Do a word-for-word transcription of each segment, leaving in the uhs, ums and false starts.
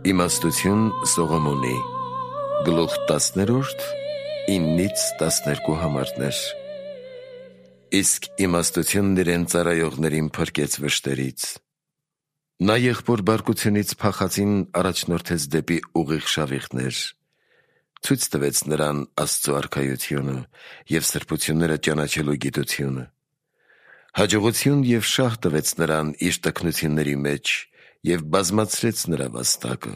Իմաստություն Սողոմոնի գլուխ տասներորդ իննից տասներկու համարներ։ Իսկ իմաստությունն իրեն ծառայողներին փրկեց վշտերից։ Նա եղբոր բարկությունից փախածին առաջնորդեց դեպի ուղիղ շավիղներ, ցույց տվեց նրան Աստծո արքայությունը և սրբությունները ճանաչելու գիտությունը։ Հաջողություն և շահ տվեց նրան իր տքնությունների մեջ և բազմացրեց նրա վաստակը։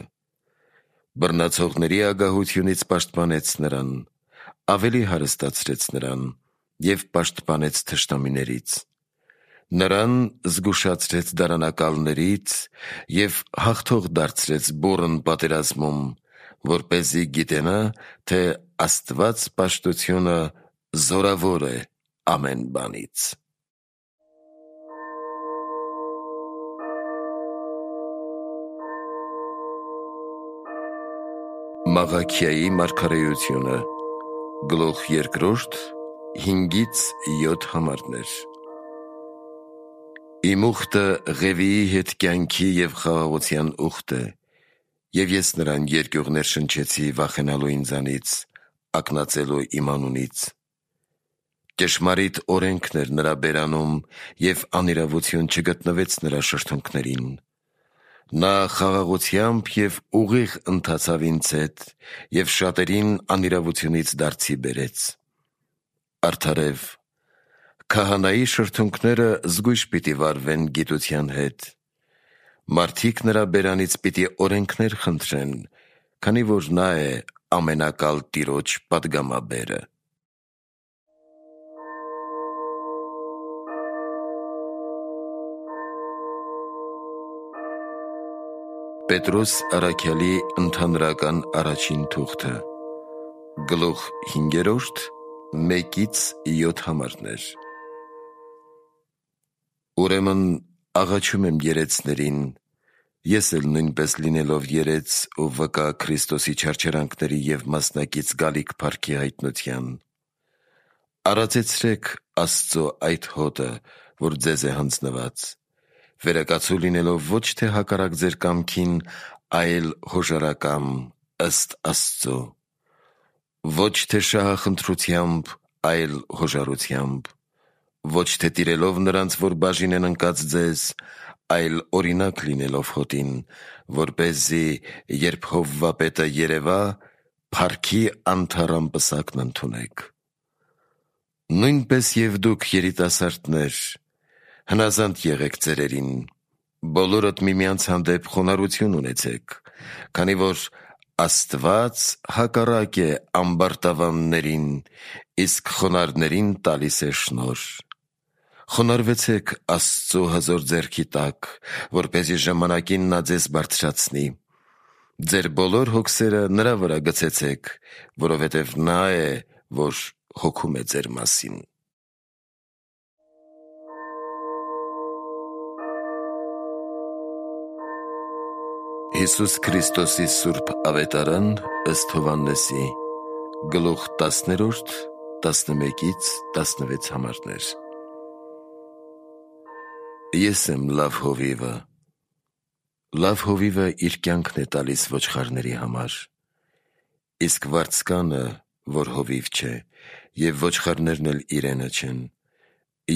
Բռնացողների ագահությունից պաշտպանեց նրան, ավելի հարստացրեց նրան և պաշտպանեց թշնամիներից։ Նրան զգուշացրեց դարանակալներից և հաղթող դարձրեց բուռն պատերազմում, որպեսզի գիտենա, թե Աստված պաշտությունը զորավոր է ամեն բանից։ Մաղաքիայի մարգարեությունը գլուխ երկրորդ հինգից յոթ համարներ։ Իմ ուխտը Ղևիի հետ կյանքի և խաղաղության ուխտ է, և ես նրան երկյուղներ շնչեցի վախենալու ինձանից, ակնածելու իմ անունից։ Ճշմարիտ օրենքն էր նրա բերանում, և անիրավություն չգտնվեց նրա շրթունքներին։ Նա խաղաղությամբ և ուղիղ ընթացավ ինձ հետ և շատերին անիրավությունից դարձի բերեց։ Արդարև, քահանայի շրթունքները զգույշ պիտի վարվեն գիտության հետ։ Մարդիկ նրա բերանից պիտի օրենքներ խնդրեն, քանի որ նա է ամենակալ Տիրոջ պատգամաբերը։ Պետրոս առաքյալի ընդհանրական առաջին թուղթը գլուխ հինգերորդ մեկից յոթ համարներ։ Ուրեմն աղաչում եմ երեցներին, ես էլ նույնպես լինելով երեց ու վկա Քրիստոսի չարչարանքների և մասնակից գալիք փառքի հայտնության, արածեցրեք Աստծո այդ հոտը, որ ձեզ է հանձնված, վերակացու լինելով ոչ թե հակառակ ձեր կամքին, այլ հոժարակամ ըստ Աստծո, ոչ թե շահախնդրությամբ, այլ հոժարությամբ, ոչ թե տիրելով նրանց, որ բաժին են ընկած ձեզ, այլ օրինակ լինելով հոտին, որպեսզի երբ Հովվապետը երևա, փառքի անթառամ պսակն ընդունեք։ Նույնպես և դուք երիտասարդներ, հնազանդ եղեք ծերերին, բոլորդ միմյանց հանդեպ խոնարհություն ունեցեք, քանի որ Աստված հակառակ է ամբարտավաններին, իսկ խոնարհներին տալիս է շնորհ։ Խոնարհվեցեք Աստծո հզոր ձեռքի տակ, որպեսզի ժամանակին նա ձեզ բարձրացնի։ Ձեր բոլոր հոգսերը նրա վրա գցեցեք, որովհետև նա է, որ հոգում է ձեր մասին։ Հիսուս Քրիստոսի սուրբ ավետարան ըստ Հովհաննեսի գլուխ տասներորդ տասնմեկից տասնվեց համարներ։ Ես եմ լավ հովիվը։ Լավ հովիվը իր կյանքն է տալիս ոչխարների համար։ Իսկ վարձկանը, որ հովիվ չէ, և ոչխարներն էլ իրենը չեն,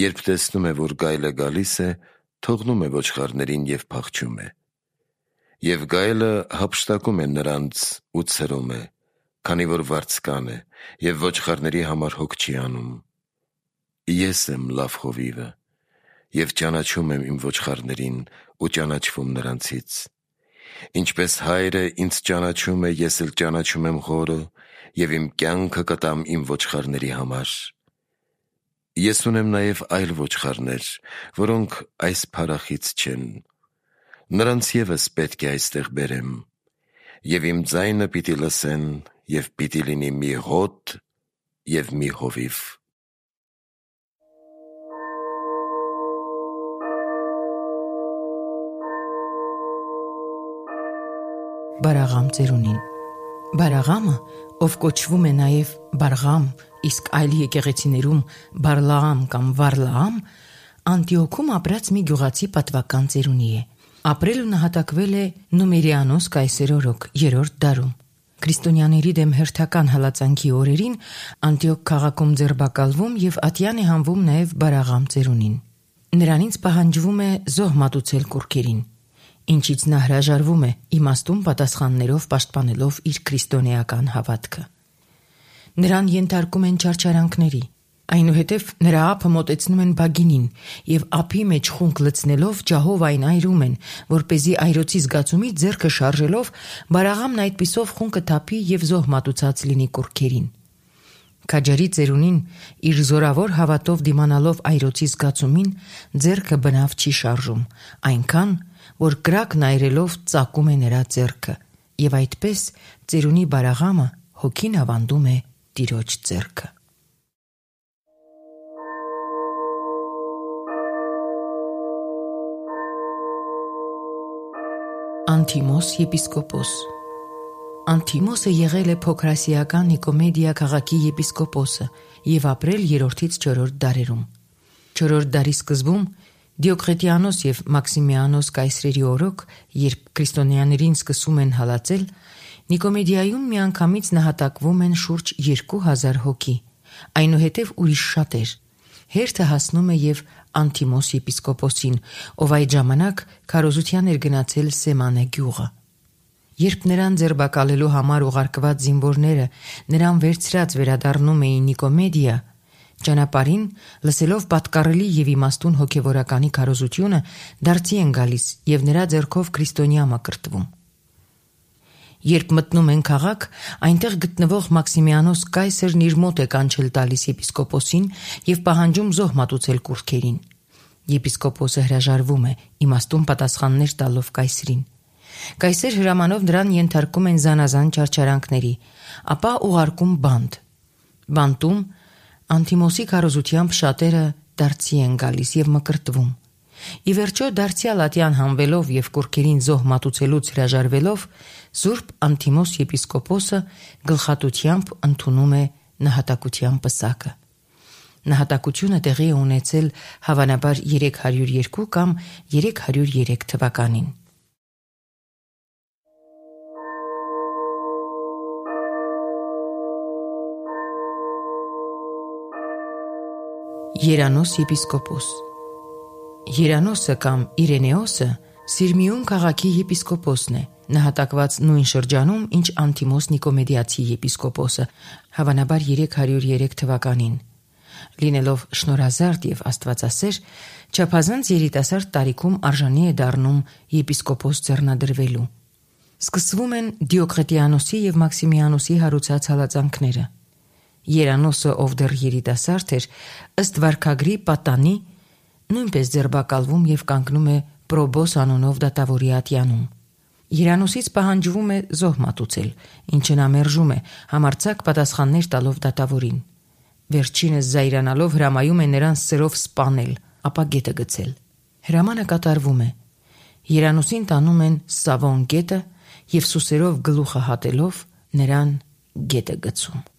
երբ տեսնում է, որ գայլը գալիս է, թողնում է ոչխարներին և փախչում է։ Եվ գայլը հափշտակում է նրանց ու ցրում է, քանի որ վարձկան է, և ոչխարների համար հոգ չի անում։ Ես եմ լավ հովիվը, և ճանաչում եմ իմ ոչխարներին ու ճանաչվում նրանցից։ Ինչպես Հայրը ինձ ճանաչում է, ես էլ ճանաչում եմ Հորը, և իմ կյանքը կտամ իմ ոչխարների համար։ Ես ունեմ նաև այլ ոչխարներ, որոնք այս փարախից չեն։ Նրանց ևս պետք է այստեղ բերեմ, և իմ ձայնը պիտի լսեն, և պիտի լինի մի հոտ և մի հովիվ։ Բարաղամ ծերունին։ Բարաղամը, ով կոչվում է նաև Բարղամ, իսկ այլ եկեղեցիներում Բարլաամ կամ Վարլաամ, Անտիոքում ապրած մի գյուղացի պատվական ծերունի է։ Ապրել ու նահատակվել է Նումերիանոս կայսեր օրոք երրորդ դարում։ Քրիստոնյաների դեմ հերթական հալածանքի օրերին Անտիոք քաղաքում ձերբակալվում եւ ատյան է հանվում նաեւ Բարաղամ ծերունին։ Նրանից պահանջվում է զոհ մատուցել կուռքերին, ինչից նա հրաժարվում է իմաստուն պատասխաններով պաշտպանելով իր քրիստոնեական հավատքը։ Նրան ենթարկում են չարչարանքների, այնուհետև նրա ափը մոտեցնում են բագինին եւ ափի մեջ խունկ լցնելով ջահով այն այրում են, որպեսզի այրոցի զգացումից ձեռքը շարժելով Բարաղամն այդպիսով խունկը թափի եւ զոհ մատուցած լինի կուռքերին։ Քաջարի ծերունին իր զորավոր հավատով դիմանալով այրոցի զգացումին ձեռքը բնավ չի շարժում, այնքան որ կրակն այրելով ծակում է նրա ձեռքը եւ այդպես ծերունի Բարաղամը հոգին ավանդում է Տիրոջ ձեռքը։ Անտիմոս եպիսկոպոս Անտիմոսը եղել է փոքրասիական Նիկոմեդիա քաղաքի եպիսկոպոսը եւ ապրել երրորդից չորրորդ դարերում։ Չորրորդ դարի սկզբում Դիոկլետիանոս եւ Մաքսիմիանոս կայսրերի օրոք, երբ քրիստոնյաներին սկսում են հալածել, Նիկոմեդիայում միանգամից նահատակվում են շուրջ երկու հազար հոգի, այնուհետև ուրիշ շատեր։ Հերթը հասնում է եւ Անտիմոս եպիսկոպոսին, ով այդ ժամանակ քարոզության էր գնացել Սեմանե գյուղը։ Երբ նրան ձերբակալելու համար ուղարկված զինվորները նրան վերցրած վերադառնում էին Նիկոմեդիա, ճանապարհին լսելով պատկառելի եւ իմաստուն հոգեվորականի քարոզությունը դարձի են գալիս եւ նրա ձեռքով քրիստոնյա մկրտվում։ Երբ մտնում են քաղաք, այնտեղ գտնվող Մաքսիմիանոս կայսերն իր մոտ է կանչել տալիս եպիսկոպոսին եւ պահանջում զոհ մատուցել կուռքերին։ Եպիսկոպոսը հրաժարվում է իմաստուն պատասխաններ տալով կայսրին։ Կայսեր հրամանով նրան ենթարկում են զանազան չարչարանքների, ապա ուղարկում բանտ։ Բանտում Անտիմոսի քարոզությամբ շատերը դարձի են գալիս եւ մկրտվում։ Ի վերջո դարձյալ ատյան հանվելով եւ կուռքերին զոհ մատուցելուց հրաժարվելով Սուրբ Անտիմոս եպիսկոպոսը գլխատությամբ ընդունում է նահատակության պսակը։ Նահատակությունը տեղի է ունեցել հավանաբար երեք հարյուր երկու կամ երեք հարյուր երեք թվականին։ Երանոս եպիսկոպոս Երանոսը կամ Իրենեոսը Սիրմիում քաղաքի եպիսկոպոսն է, նահատակված նույն շրջանում, ինչ Անտիմոս Նիկոմեդիացի եպիսկոպոսը, հավանաբար երեք հարյուր երեք թվականին։ Լինելով շնորհազարդ եւ աստվածասեր, չափազանց երիտասարդ տարիքում արժանի է դառնում եպիսկոպոս ձեռնադրվելու։ Սկսվում են Դիոկլետիանոսի եւ Մաքսիմիանոսի հարուցած հալածանքները։ Երանոսը, ով դեռ երիտասարդ էր, ըստ վարքագրի պատանի, նույնպես ձերբակալվում եւ կանգնում է Պրոբոս անունով դատավորի ատյանում։ Երանոսից պահանջվում է զոհ մատուցել, ինչը նա մերժում է, համարձակ պատասխաններ տալով դատավորին։ Վերջինս զայրանալով հրամայում է նրան սրով սպանել, ապա գետը գցել։ Հրամանը կատարվում է։ Երանոսին տանում են Սավոն գետը եւ սուսերով գլուխը հատելով նրան գետը գցում։